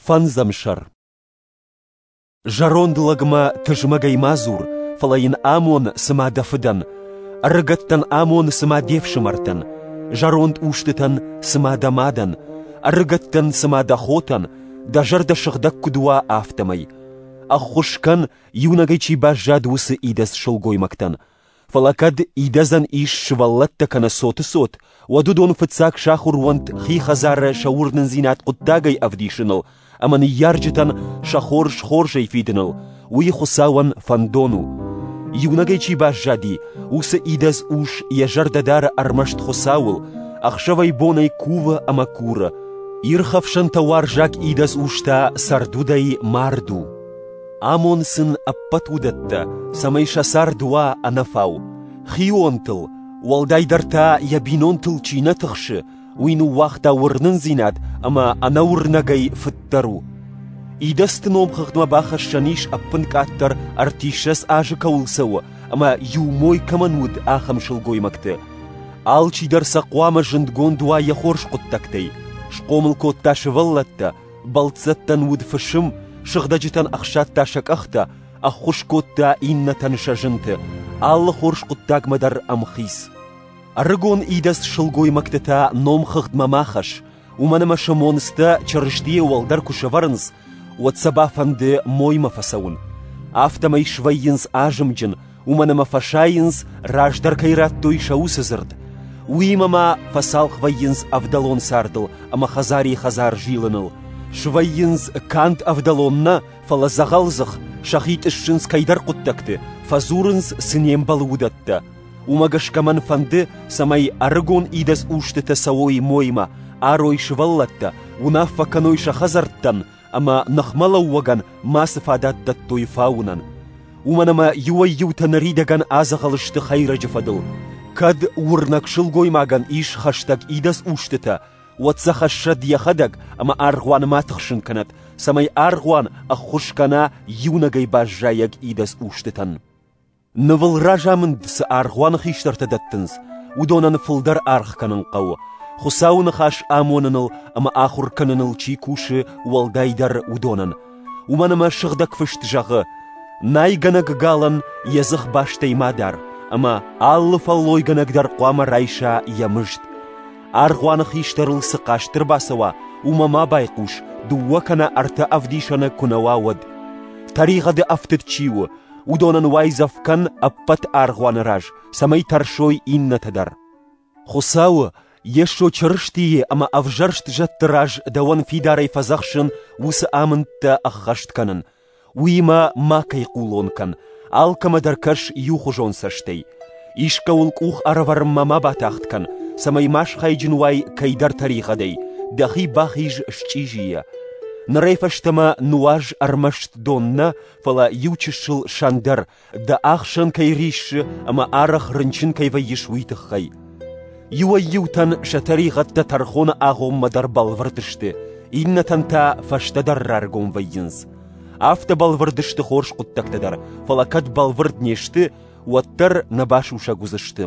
Фӕндзӕм сӕр. Зӕронд лӕгмӕ тызмӕгӕй ма дзур, фӕлӕ йын амон, цыма дӕ фыдӕн. Ӕрыгӕттӕн амон, цыма де фсымӕртӕн. Зӕронд устытӕн, цыма дӕ мадӕн. Ӕрыгӕттӕн, цыма дӕ хотӕн, дӕ зӕрдӕ сыгъдӕг куыд уа, афтӕмӕй. Ӕххуыс кӕн, иунӕгӕй чи баззад, уыцы идӕдз сылгоймӕгтӕн. Фӕлӕ кӕд идӕдзӕн ис сывӕллӕттӕ кӕнӕ цоты цот, уӕд уыдон фыццаг сахуыр уӕнт хи хӕдзары сӕ уырнындзинад хъуыддагӕй ӕвдисыныл ӕмӕ ныййарджытӕн сӕ хорз хорзӕй фидыныл, уый Хуыцауӕн фӕндон у. Иунӕгӕй чи баззади, уыцы идӕдз ус йӕ зӕрдӕ дары ӕрмӕст Хуыцауыл, ӕхсӕвӕй-бонӕй кувы ӕмӕ куры. Ирхӕфсӕнтӕ уарзаг идӕдз ус та цӕрдудӕй мард у. Амон сын ӕппӕт уыдӕттӕ, цӕмӕй сӕ цард уа ӕнӕфау. Хионтыл, уӕлдайдӕр та йӕ бинонтыл чи нӕ тыхсы, уый ныууагъта уырнындзинад ӕмӕ ӕнӕуырнӕгӕй фыддӕр у. Идӕдзты номхыгъдмӕ бахӕссӕн ис ӕппынкъаддӕр 30 азы кӕуыл цӕуы ӕмӕ иу мой кӕмӕн уыд, ахӕм сылгоймӕгты. Алчидӕр сӕ хъуамӕ зындгонд уа йӕ хорз хъуыддӕгтӕй. Схъомыл кодта сывӕллӕттӕ, бӕлццӕттӕн уыд фысым, сыгъдӕджытӕн ӕхсадта сӕ къӕхтӕ, ӕххуыс кодта иннӕтӕн сӕ зынты, алы хорз хъуыддагмӕ дӕр ӕмхиц. Ӕрыгон идӕдз сылгоймӕгты та номхыгъдмӕ ма хӕсс, уымӕн ӕмӕ сӕ монцтӕ Чырыстийы уӕлдӕр куы сӕвӕрынц, уӕд сӕ бафӕнды моймӕ фӕцӕуын. Афтӕмӕй свӕййынц азымджын, уымӕн ӕмӕ фӕсайынц, раздӕр кӕй радтой сӕ уыцы дзырд. Уыимӕ ма фӕцалх вӕййынц ӕвдӕлон цардыл ӕмӕ хӕдзари-хӕдзар зилыныл. Свӕййынц канд ӕвдӕлон нӕ, фӕлӕ дзӕгъӕлдзых, сӕхи тъыссынц кӕйдӕр хъуыддӕгты, фӕдзурынц, цы не мбӕлы, уыдӕттӕ. Уымӕ гӕсгӕ мӕн фӕнды, цӕмӕй ӕрыгон идӕдз устытӕ цӕуой моймӕ, арой сывӕллӕттӕ, уынаффӕ кӕной сӕ хӕдзӕрттӕн ӕмӕ ныхмӕлӕууӕгӕн мацы фадат дӕттой фауынӕн. Уымӕн ӕмӕ иуӕй-иутӕ ныридӕгӕн адзӕгъӕл сты хӕйрӕджы фӕдыл. Кӕд уырнӕг сылгоймагӕн ис хӕстӕг идӕдз устытӕ, уӕд сӕ хӕссӕд йӕхӕдӕг ӕмӕ аргъуаны ма тыхсын кӕнӕд, цӕмӕй аргъуан ӕххуыс кӕна иунӕгӕй баззайӕг идӕдз устытӕн. Нывыл разамынд цы аргъуаны хистӕртӕ дӕттынц, уыдонӕн фылдӕр аргъ кӕнын хъӕуы, Хуыцауы ныхас амоныныл ӕмӕ ахуыр кӕныныл чи кусы, уӕлдайдӕр уыдонӕн. Уымӕн ӕмӕ Сыгъдӕг Фыст зӕгъы: «Найгӕнӕг галӕн йӕ дзых бастӕй ма дар, ӕмӕ алы фӕллойгӕнӕг дӕр хъуамӕ райса йӕ мызд». Аргъуаны хистӕрыл цы хъаст ӕрбацӕуа, уымӕ ма байхъус, дыууӕ кӕнӕ ӕртӕ ӕвдисӕны куы нӕ уа, уӕд. Тӕригъӕды ӕфтыд чи у, уыдонӕн уайдзӕф кӕн ӕппӕт аргъуаны раз, цӕмӕй тӕрсой иннӕтӕ дӕр. Хуыцауы, Йесо Чырыстийы ӕмӕ ӕвзӕрст зӕдты раз дӕуӕн фидарӕй фӕдзӕхсын уыцы амындтӕ ӕххӕст кӕнын. Уыимӕ макӕй хъулон кӕн, алкӕмӕ дӕр кӕс иухуызон цӕстӕй. Искӕуыл къух ӕрӕвӕрынмӕ ма батагъд кӕн, цӕмӕй ма схайджын уай кӕйдӕр тӕригъӕдӕй, дӕхи бахиз счъизийӕ. Нырӕй фӕстӕмӕ нуаз ӕрмӕст дон нӕ, фӕлӕ иу чысыл сӕн дӕр, дӕ ахсӕн кӕй риссы ӕмӕ арӕх рынчын кӕй вӕййыс, уый тыххӕй. Иуӕй-иутӕн сӕ тӕригъӕдтӕ тӕрхоны агъоммӕ дӕр бӕлвырд сты, иннӕтӕн та фӕстӕдӕр раргом вӕййынц. Афтӕ бӕлвырд сты хорз хъуыддӕгтӕ дӕр, фӕлӕ кӕд бӕлвырд не сты, уӕддӕр нӕ басусӕг уыдзысты.